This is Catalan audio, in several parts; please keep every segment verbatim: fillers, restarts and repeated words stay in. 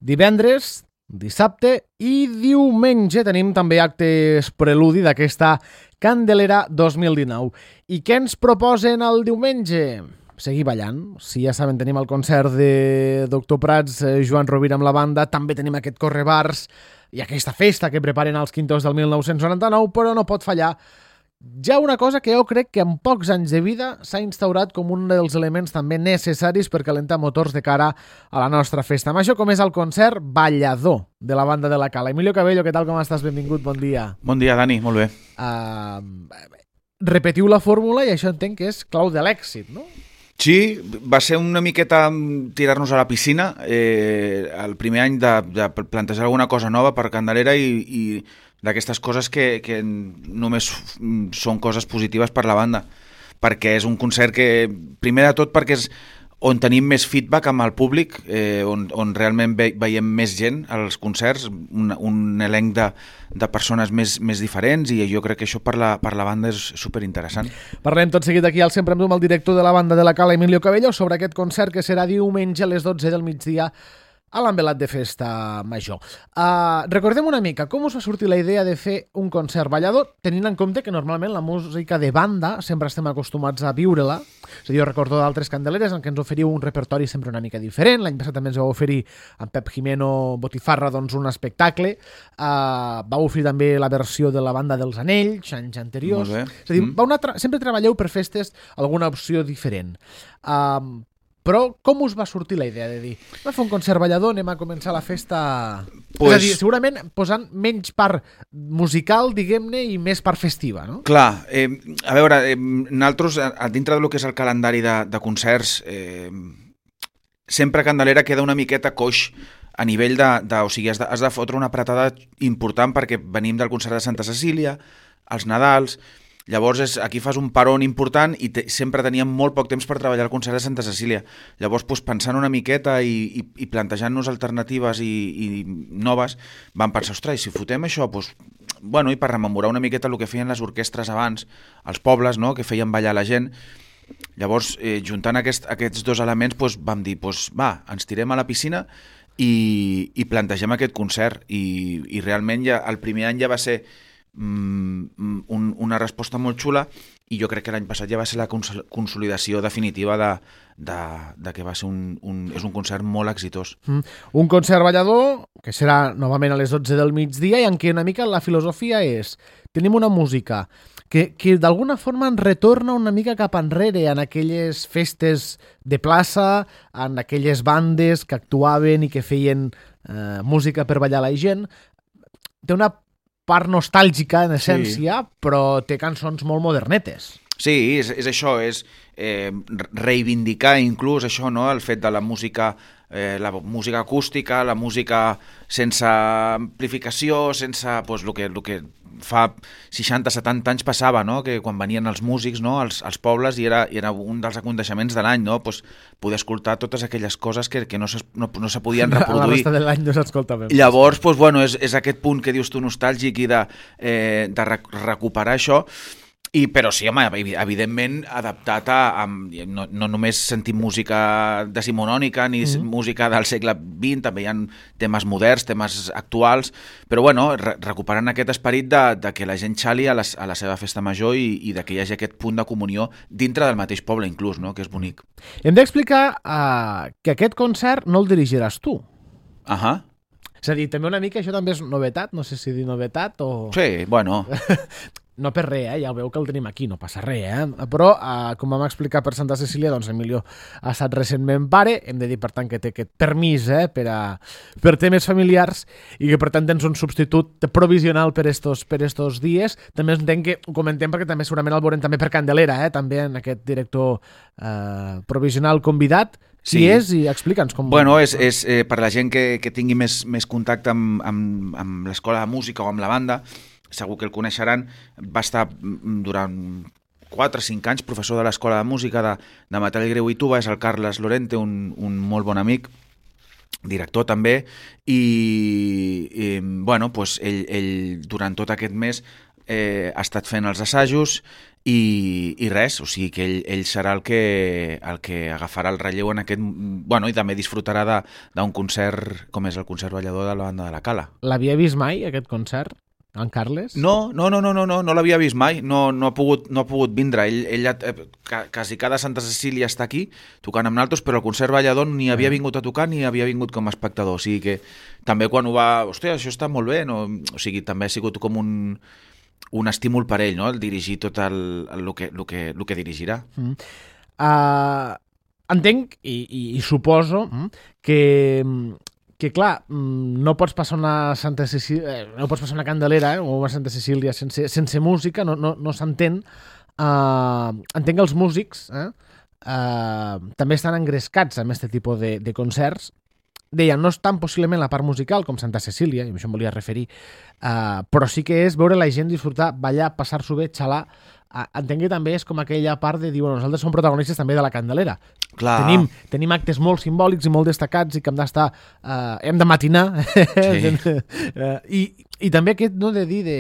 Divendres, dissabte i diumenge tenim també actes preludi d'aquesta Candelera dos mil dinou. I què ens proposen el diumenge? Seguir ballant. Si ja saben, tenim el concert de Doctor Prats, eh, Joan Rovira amb la banda, també tenim aquest correbars i aquesta festa que preparen els quintos del mil nou-cents noranta-nou, però no pot fallar ja una cosa que jo crec que en pocs anys de vida s'ha instaurat com un dels elements també necessaris per calentar motors de cara a la nostra festa major, com és el concert Ballador de la banda de la Cala. Emilio Cabello, què tal, com estàs? Benvingut, bon dia. Bon dia, Dani, molt bé. Uh, repetiu la fórmula i això entenc que és clau de l'èxit, no? Sí, va ser una miqueta tirar-nos a la piscina, eh, el primer any de, de plantejar alguna cosa nova per Candelera i, i d'aquestes coses que, que només són coses positives per la banda, perquè és un concert que, primer de tot, perquè és on tenim més feedback amb el públic, eh, on, on realment ve, veiem més gent als concerts, un, un elenc de, de persones més, més diferents, i jo crec que això per la, per la banda és superinteressant. Parlem tot seguit aquí al Sempre amb tu amb el director de la banda de la Cala, Emilio Cabello, sobre aquest concert que serà diumenge a les dotze del migdia a l'envelat de festa major. Uh, recordem una mica com us va sortir la idea de fer un concert ballador, tenint en compte que normalment la música de banda sempre estem acostumats a viure-la. És a dir, jo recordo d'altres candeleres en què ens oferiu un repertori sempre una mica diferent. L'any passat també ens vau oferir amb Pep Jimeno Botifarra doncs, un espectacle. Uh, vau oferir també la versió de la banda dels Anells, anys anteriors. És a dir, mm. vau tra- sempre treballeu per festes alguna opció diferent. Uh, Però com us va sortir la idea de dir va fer un concert ballador, anem a començar la festa... Pues... És a dir, segurament posant menys part musical, diguem-ne, i més part festiva, no? Clar, eh, a veure, eh, nosaltres, a dintre del que és el calendari de, de concerts, eh, sempre Candelera queda una miqueta coix a nivell de... de o sigui, has de, has de fotre una apretada important perquè venim del concert de Santa Cecília, els Nadals... Llavors és, aquí fas un paron important i te, sempre teníem molt poc temps per treballar el concert de Santa Cecília. Llavors, doncs, pensant una miqueta i, i, i plantejant-nos alternatives i, i noves, vam pensar, ostres, si fotem això, doncs, bueno, i per rememorar una miqueta el que feien les orquestres abans, els pobles, no?, que feien ballar la gent. Llavors, eh, juntant aquest, aquests dos elements, doncs, vam dir, doncs, va, ens tirem a la piscina i, i plantegem aquest concert. I, i realment ja, el primer any ja va ser Un, una resposta molt xula i jo crec que l'any passat ja va ser la consolidació definitiva de, de, de que va ser un, un, és un concert molt exitós. Mm. Un concert ballador que serà novament a les dotze del migdia i en què una mica la filosofia és tenim una música que, que d'alguna forma ens retorna una mica cap enrere en aquelles festes de plaça, en aquelles bandes que actuaven i que feien eh, música per ballar la gent. Té una part nostàlgica, en essència, sí. Però té cançons molt modernetes. Sí, és, és això, és eh, reivindicar inclús això, no?, el fet de la música, eh, la música acústica, la música sense amplificació, sense, doncs, el que, el que fa seixanta setanta anys passava, no?, que quan venien els músics, no?, als, als pobles, i era, i era un dels aconteixements de l'any, no?, pues, poder escoltar totes aquelles coses que, que no, se, no, no se podien reproduir. La resta de l'any no s'escolta bé. Llavors, pues, bueno, és, és aquest punt que dius tu nostàlgic i de, eh, de rec- recuperar això. I, però sí, home, evidentment adaptat a... a no, no només sentim música decimonònica ni mm-hmm. música del segle vint, també hi ha temes moderns, temes actuals, però bueno, re, recuperant aquest esperit de, de que la gent xali a la, a la seva festa major i, i de que hi hagi aquest punt de comunió dintre del mateix poble inclús, no?, que és bonic. Hem d'explicar uh, que aquest concert no el dirigiràs tu. Ahà. És a dir, també una mica, això també és novetat, no sé si dir novetat o... Sí, bueno... No per res, eh? Ja ho veu que el tenim aquí, no passa res, eh? Però, eh, com vam explicar per Santa Cecília, doncs Emilio ha estat recentment pare, hem de dir, per tant, que té aquest permís eh, per, a, per temes familiars i que, per tant, tens un substitut provisional per estos, per estos dies. També entenc que ho comentem perquè també segurament el veurem també per Candelera, eh? També en aquest director eh, provisional convidat. Qui sí. és? I explica'ns com... Bueno, és, és eh, per la gent que, que tingui més, més contacte amb, amb, amb l'escola de música o amb la banda, segur que el coneixeran, va estar durant quatre o cinc anys professor de l'Escola de Música de, de Matall Greu i Tuba, és el Carles Lorente, un, un molt bon amic, director també, i, i bueno, pues ell, ell durant tot aquest mes eh, ha estat fent els assajos i, i res, o sigui que ell, ell serà el que, el que agafarà el relleu en aquest... Bueno, i també disfrutarà d'un concert com és el concert ballador de la banda de la Cala. L'havia vist mai, aquest concert? En Carles? No, no, no, no, no, no, no l'havia vist mai, no, no, ha pogut, no ha pogut vindre. Ell, ell eh, quasi cada Santa Cecília està aquí tocant amb naltros, però el concert ballador ni havia vingut a tocar ni havia vingut com a espectador. O sigui que també quan ho va... Hòstia, això està molt bé, no? O sigui, també ha sigut com un, un estímul per ell, no? El dirigir tot el, el, el, que, el, que, el que dirigirà. Mm. Uh, entenc i, i, i suposo que... que clar, no pots passar una Santa Cecília, no pots passar una Candelera eh, o una Santa Cecília sense, sense música, no, no, no s'entén. Uh, entenc que els músics eh, uh, també estan engrescats amb aquest tipus de, de concerts. Deia, no és tan possiblement la part musical com Santa Cecília, i a això em volia referir, uh, però sí que és veure la gent disfrutar, ballar, passar-s'ho bé, xalar. Uh, entenc que també és com aquella part de dir, bueno, nosaltres som protagonistes també de la Candelera. Clar. Tenim, tenim actes molt simbòlics i molt destacats i que hem d'estar, uh, hem de matinar. Sí. uh, i, I també aquest, no, de dir, de...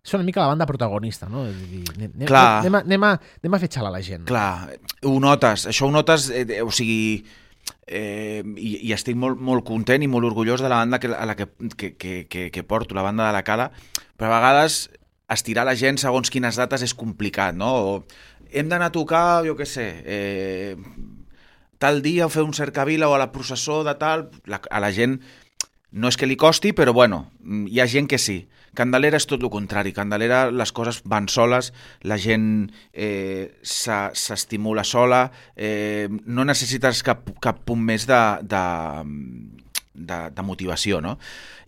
és una mica la banda protagonista, no? De dir, anem, anem, a, anem, a, anem a fer xalar la gent. Clar, ho notes, això ho notes, eh, o sigui... Eh, i, i estic molt, molt content i molt orgullós de la banda que, a la que, que, que, que porto, la banda de la Cala, però a vegades estirar la gent segons quines dates és complicat, no? O hem d'anar a tocar, jo què sé, eh, tal dia o fer un cercavila o a la processó de tal, la, a la gent no és que li costi, però bueno, hi ha gent que sí. Candelera és tot el contrari. Candelera les coses van soles, la gent eh, s'estimula sola, eh, no necessites cap, cap punt més de, de, de, de motivació, no?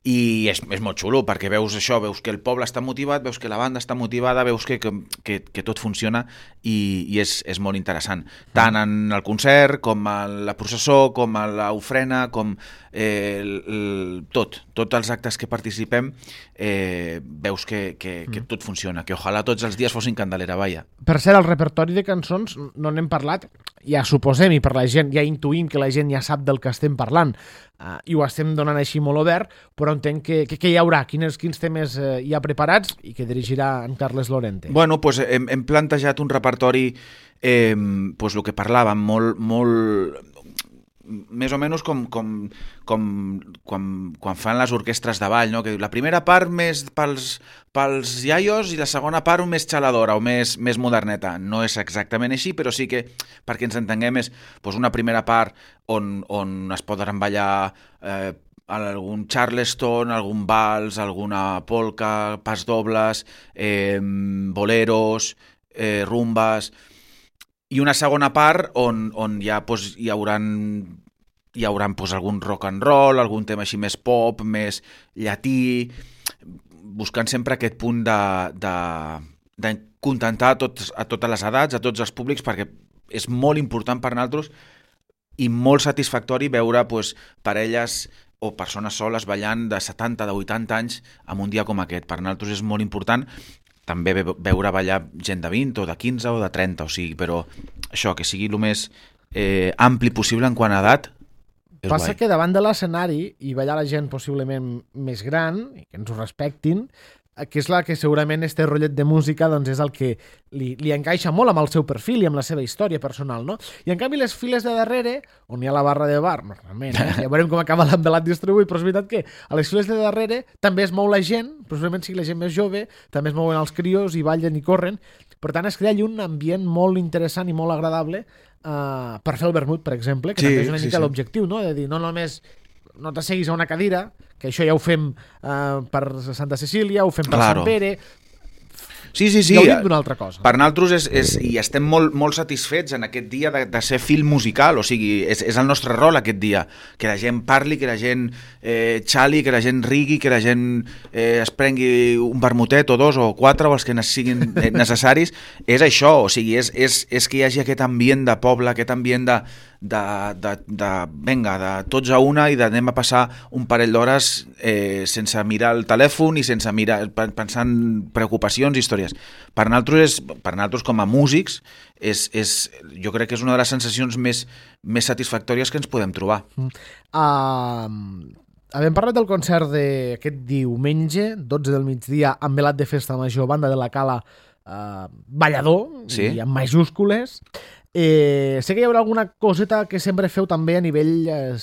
I és, és molt xulo, perquè veus això, veus que el poble està motivat, veus que la banda està motivada, veus que, que, que tot funciona i, i és, és molt interessant. Tant en el concert, com a la processó, com a l'ofrena, com eh, el, el, tot, tots els actes que participem, eh, veus que, que, que tot funciona, que ojalà tots els dies fossin Candelera, vaja. Per cert, el repertori de cançons no n'hem parlat, ja suposem, i per la gent, ja intuïm que la gent ja sap del que estem parlant, uh, i ho estem donant així molt obert, però entenc que, que, que hi haurà, quins, quins temes uh, hi ha preparats i que dirigirà en Carles Lorente. Bueno, pues hem, hem plantejat un repertori, eh, pues el que parlàvem, molt, molt més o menys com, com, com quan, quan fan les orquestres de ball, no? Que la primera part més pels, pels iaios i la segona part més xaladora o més, més moderneta. No és exactament així, però sí que, perquè ens entenguem, és pues, una primera part on, on es poden ballar eh, algun charleston, algun vals, alguna polca, pas dobles, eh, boleros, eh, rumbes... I una segona part on, on ja pues, hi hauran, hi hauran pues, algun rock and roll, algun tema així més pop, més llatí, buscant sempre aquest punt de, de, de contentar a, tots, a totes les edats, a tots els públics, perquè és molt important per nosaltres i molt satisfactori veure pues, parelles o persones soles ballant de setanta, de vuitanta anys en un dia com aquest. Per nosaltres és molt important també veure ballar gent de vint o de quinze o de trenta, o sigui, però això, que sigui el més eh, ampli possible en quant a edat, és Passa guai. Que davant de l'escenari i ballar la gent possiblement més gran, i que ens ho respectin, que és la que segurament este rotllet de música doncs és el que li, li encaixa molt amb el seu perfil i amb la seva història personal, no? I en canvi les files de darrere, on hi ha la barra de bar, normalment, eh? Ja veurem com acaba l'embelat distribuït, però és veritat que a les files de darrere també es mou la gent, possiblement sigui la gent més jove, també es mouen els crios i ballen i corren, per tant es crea allí un ambient molt interessant i molt agradable uh, per fer el vermut, per exemple, que sí, també és una sí, mica sí. l'objectiu, no? De dir, no només no t'asseguis a una cadira, que això ja ho fem uh, per Santa Cecília, ho fem per Claro. Sant Pere... Sí, sí, sí. Gaudim d'una altra cosa. Per nosaltres és, és, i estem molt, molt satisfets en aquest dia de, de ser film musical, o sigui, és, és el nostre rol aquest dia, que la gent parli, que la gent eh, xali, que la gent rigui, que la gent eh, es prengui un vermutet o dos o quatre o els que siguin necessaris, és això, o sigui, és, és, és que hi hagi aquest ambient de poble, aquest ambient de, de, de, de venga, de tots a una i d'anem a passar un parell d'hores eh, sense mirar el telèfon i sense mirar, pensant preocupacions i històries. Per nosaltres, és, per nosaltres com a músics, és, és, jo crec que és una de les sensacions més, més satisfactòries que ens podem trobar. Uh, havem parlat del concert d'aquest diumenge, dotze del migdia, amb velat de festa major, banda de la Cala, eh, ballador, sí. I amb majúscules. Eh, sé que hi haurà alguna coseta que sempre feu també a nivell eh,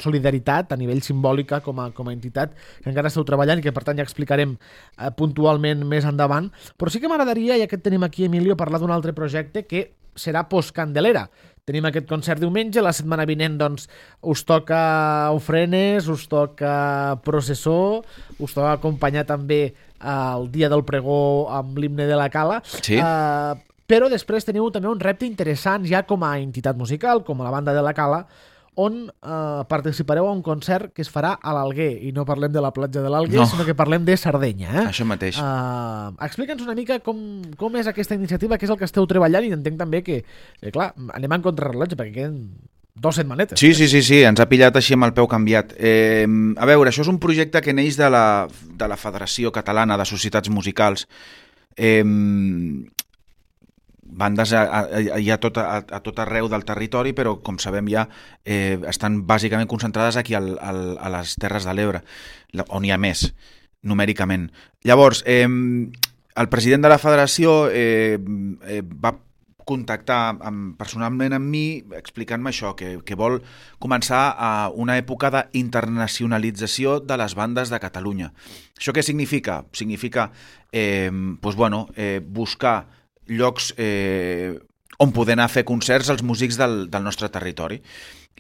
solidaritat, a nivell simbòlica com a, com a entitat, que encara esteu treballant i que per tant ja explicarem eh, puntualment més endavant. Però sí que m'agradaria, ja que et tenim aquí, Emilio, parlar d'un altre projecte que serà post-Candelera. Tenim aquest concert diumenge, la setmana vinent doncs, us toca ofrenes, us toca processó, us toca acompanyar també el dia del pregó amb l'himne de la Cala. Sí. Uh, però després teniu també un repte interessant ja com a entitat musical, com a la banda de la Cala, on uh, participareu a un concert que es farà a l'Alguer, i no parlem de la platja de l'Alguer, no. sinó que parlem de Sardenya. Eh? Això mateix. Uh, Explica'ns una mica com, com és aquesta iniciativa, què és el que esteu treballant, i entenc també que, eh, clar, anem en contrarrellotge, perquè queden dos setmanetes. Sí, sí, sí, sí, ens ha pillat així amb el peu canviat. Eh, a veure, això és un projecte que neix de la, de la Federació Catalana de Societats Musicals. Eh, bandes a, a, a, a, tot, a, a tot arreu del territori, però com sabem ja eh, estan bàsicament concentrades aquí al, al, a les Terres de l'Ebre, on hi ha més, numèricament. Llavors, eh, el president de la federació eh, eh, va contactar amb, personalment amb mi explicant-me això, que, que vol començar a una època d'internacionalització de les bandes de Catalunya. Això què significa? Significa eh, pues, bueno, eh, buscar llocs eh, on poder anar a fer concerts als músics del, del nostre territori.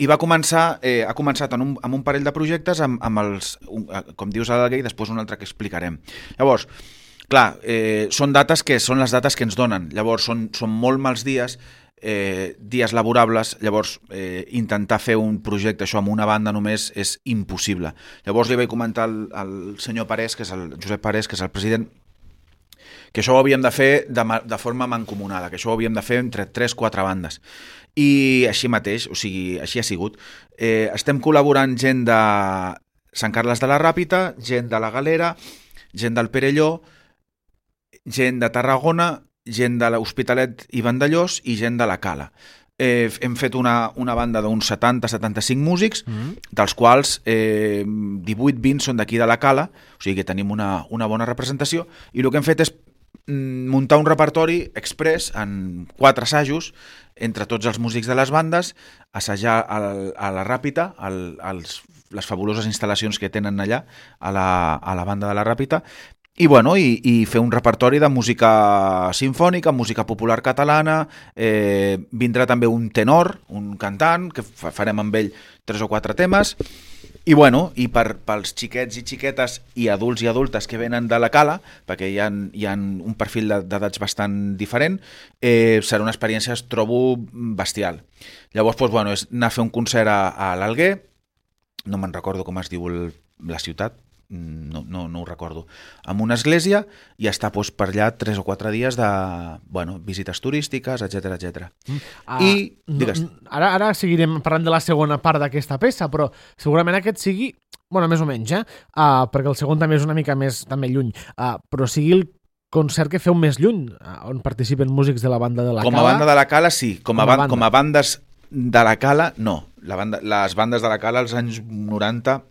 I va començar, eh, ha començat en un, amb un parell de projectes amb, amb els, un, com dius a l'Alguer, i després un altre que explicarem. Llavors, clar, eh, són dates que són les dates que ens donen. Llavors, són, són molt mals dies, eh, dies laborables, llavors eh, intentar fer un projecte això amb una banda només és impossible. Llavors li vaig comentar al, al senyor Parés, que és el Josep Parés, que és el president, que això ho havíem de fer de, de forma mancomunada, que això ho havíem de fer entre tres o quatre bandes. I així mateix, o sigui, així ha sigut. Eh, estem col·laborant gent de Sant Carles de la Ràpita, gent de la Galera, gent del Perelló, gent de Tarragona, gent de l'Hospitalet i Vandellós i gent de la Cala. Eh, hem fet una, una banda d'uns setanta a setanta-cinc músics, mm-hmm. dels quals eh, divuit vint són d'aquí de la Cala, o sigui que tenim una, una bona representació, i el que hem fet és muntar un repertori express en quatre assajos entre tots els músics de les bandes, assajar al, a la Ràpita, al, als, les fabuloses instal·lacions que tenen allà a la, a la banda de la Ràpita, i, bueno, i, i fer un repertori de música sinfònica, música popular catalana, eh, vindrà també un tenor, un cantant, que farem amb ell tres o quatre temes, i, bueno, i per, pels xiquets i xiquetes i adults i adultes que venen de la Cala, perquè hi ha, hi ha un perfil d'edats bastant diferent, eh, serà una experiència, es trobo, bestial. Llavors, doncs, bueno, és anar a fer un concert a, a l'Alguer, no me'n recordo com es diu el, la ciutat, no, no, no ho recordo, amb una església, i estar doncs, per allà tres o quatre dies de bueno, visites turístiques, etcètera etcètera. Mm. Ah, I, digues... No, ara, ara seguirem parlant de la segona part d'aquesta peça, però segurament aquest sigui, bueno, més o menys, eh? Uh, perquè el segon també és una mica més també lluny, uh, però sigui el concert que feu més lluny, uh, on participen músics de la banda de la com Cala. Com a banda de la Cala, sí. Com a, com a, banda. Com a bandes de la Cala, no. La banda, les bandes de la Cala als anys noranta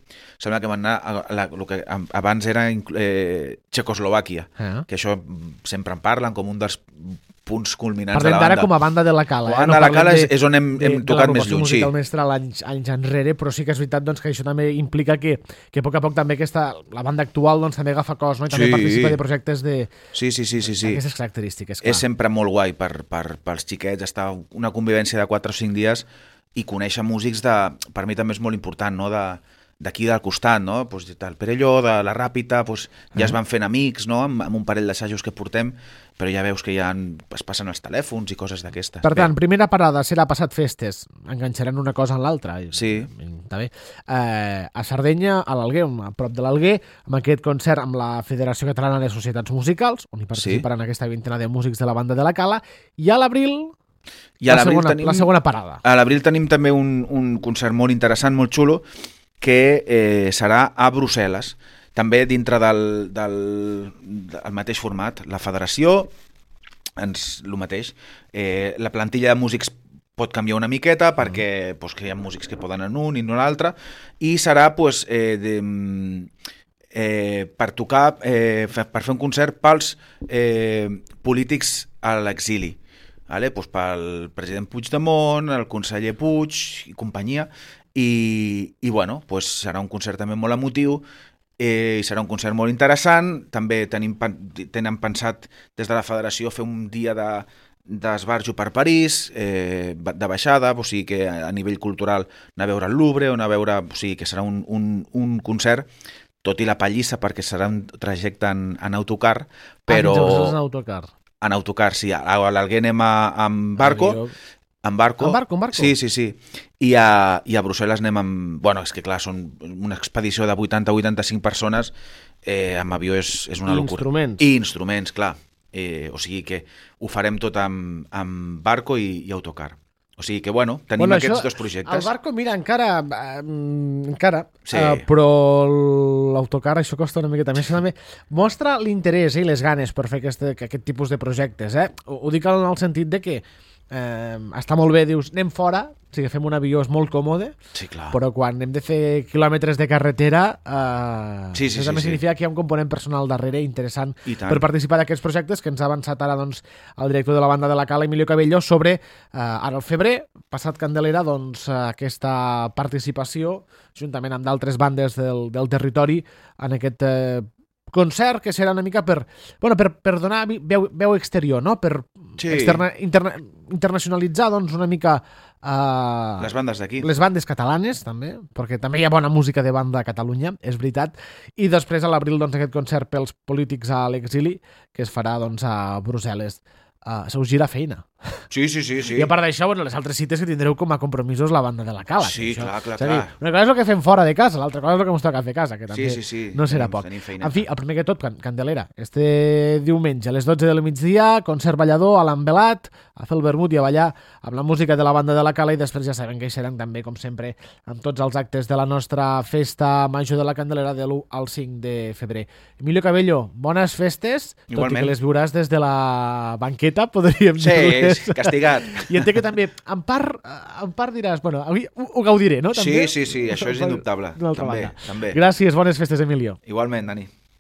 sembla que van anar a, a la, el que abans era eh, Txecoslovàquia, eh? Que això sempre en parlen com un dels punts culminants Parlem de la banda. Parlem d'ara com a banda de la Cala. La eh? banda no de la Cala de, és on hem, hem de, tocat de més lluny, sí. Musical anys, anys enrere, però sí que és veritat doncs, que això també implica que, que a poc a poc també aquesta, la banda actual doncs, també agafa cos, no? I també sí. participa de projectes de sí, sí, sí, sí, sí. aquestes característiques. Clar. És sempre molt guai per, per, pels xiquets, estar una convivència de quatre o cinc dies i conèixer músics de, per mi també és molt important, no? de d'aquí del costat, no? Pues, del Perelló, de la Ràpita, pues, ja es van fent amics, no? amb, amb un parell d'assajos que portem, però ja veus que ja es passen els telèfons i coses d'aquestes. Per tant, Bé. primera parada serà passat festes, enganxaran una cosa en l'altra. Sí. Està bé. Eh, a Sardenya, a l'Alguer, a prop de l'Alguer, amb aquest concert amb la Federació Catalana de Societats Musicals, on hi participaran sí. aquesta vintena de músics de la banda de la Cala, i a l'abril... I a la, segona, tenim, la segona parada. A l'abril tenim també un, un concert molt interessant, molt xulo, que eh, serà a Brussel·les, també dintre del, del, del mateix format. La federació, ens, el mateix, eh, la plantilla de músics pot canviar una miqueta perquè pues, que hi ha músics que poden en un i no l'altre, i serà pues, eh, de, eh, per tocar, eh, per fer un concert pels eh, polítics a l'exili. Vale? Pues pel president Puigdemont, el conseller Puig i companyia, i, i bueno, pues serà un concert també molt emotiu, eh, i serà un concert molt interessant. També tenim, tenen pensat des de la federació fer un dia de d'esbarjo per París, eh, de baixada, o sigui que a nivell cultural anar a veure el Louvre, o anar a veure, o sigui que serà un, un, un concert, tot i la pallissa perquè serà un trajecte en, en autocar, però... Ah, en autocar. En autocar, sí. A l'Alguer anem a, amb barco, en barco. En barco, en barco? Sí, sí, sí. I a, i a Brussel·les anem amb... Bueno, és que clar, són una expedició de vuitanta a vuitanta-cinc persones, eh, amb avió és, és una I locura. instruments. I instruments, clar. Eh, o sigui que ho farem tot amb, amb barco i, i autocar. O sigui que, bueno, tenim bueno, aquests això, dos projectes. El barco, mira, encara... Eh, encara, sí. eh, però l'autocar, això costa una miqueta més. També mostra l'interès i les ganes per fer aquest, aquest tipus de projectes. Eh? Ho, ho dic en el sentit de que eh, està molt bé, dius, anem fora, o sigui, fem un avió és molt còmode, sí, clar. Però quan hem de fer quilòmetres de carretera, eh, sí, sí, això sí, també sí. significa que hi ha un component personal darrere interessant per participar d'aquests projectes que ens ha avançat ara doncs, el director de la banda de la Cala, Emilio Cabello, sobre, eh, ara al febrer, passat Candelera, doncs, aquesta participació, juntament amb d'altres bandes del, del territori, en aquest eh, concert que serà una mica per, bueno, per, per donar veu, veu exterior, no? Per sí. externa, interna, internacionalitzar doncs, una mica uh, les bandes d'aquí. Les bandes catalanes, també, perquè també hi ha bona música de banda a Catalunya, és veritat. I després a l'abril doncs, aquest concert pels polítics a l'exili, que es farà doncs, a Brussel·les. Uh, se us gira feina. Sí, sí, sí, sí. I a part d'això, bueno, les altres cites que tindreu com a compromisos la banda de la Cala. Sí, això, clar, clar, dir, clar. Una cosa és el que fem fora de casa, l'altra cosa és el que ens toca fer a casa, que també sí, sí, sí. no serà tenim, poc. tenim En fi, el primer que tot, Candelera, este diumenge a les dotze del migdia, concert ballador a l'Ambelat, a fer el vermut i a ballar amb la música de la banda de la Cala, i després ja sabem que hi seran també, com sempre, amb tots els actes de la nostra festa major de la Candelera de l'u al cinc de febrer. Emilio Cabello, bones festes, igualment. Tot i que les viuràs des de la banqueta, podríem sí, dir. Sí, castigat. I entenc que també, en part, en part diràs, bueno, avui ho, ho gaudiré, no? També? Sí, sí, sí, això és indubtable. També, també. Gràcies, bones festes, Emilio. Igualment, Dani.